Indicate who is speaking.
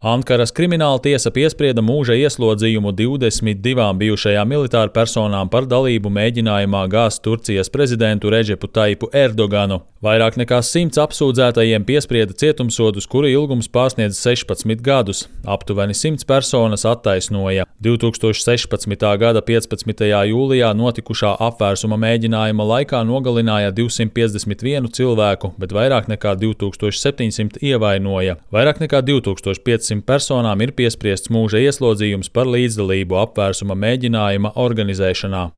Speaker 1: Ankaras krimināla tiesa piesprieda mūža ieslodzījumu 22 bijušajām militāru personām par dalību mēģinājumā gāzt Turcijas prezidentu Redžepu Taipu Erdoganu. Vairāk nekā 100 apsūdzētajiem piesprieda cietumsodus, kuru ilgums pārsniedz 16 gadus. Aptuveni 100 personas attaisnoja 2016. gada 15. jūlijā notikušā apvērsuma mēģinājuma laikā nogalināja 251 cilvēku, bet vairāk nekā 2700 ievainoja. Vairāk nekā 2500 personām ir piespriests mūža ieslodzījums par līdzdalību apvērsuma mēģinājuma organizēšanā.